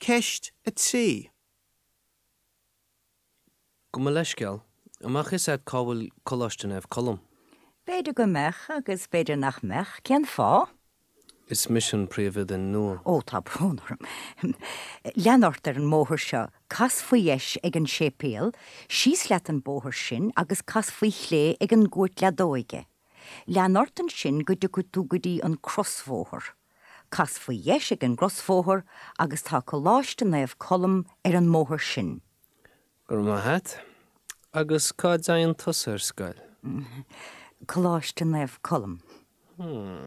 Ceist 3. Gabh mo leithscéal, an mbeadh fhios agat cá bhfuil Coláiste Naomh Colm? B'fhéidir go mbeadh agus b'fhéidir nach mbeadh. Cén fáth? Is mise an príomhoide nua. Ó, tá brón orm. Lean ort ar an mbóthar seo, cas faoi dheis ag an séipéal, síos leat an bóthar sin agus cas faoi chlé ag an gcúirt leadóige. Lean ort ansin go dtiocfaidh tú go dtí an crosbhóthar. Cas faoi dheis ag an gcrosbhóthar agus tá Coláiste Naomh Colm ar an mbóthar sin. Go raibh maith a't. Agus cá dtéann tusa ar scoil? Coláiste Naomh Colm. Hmm.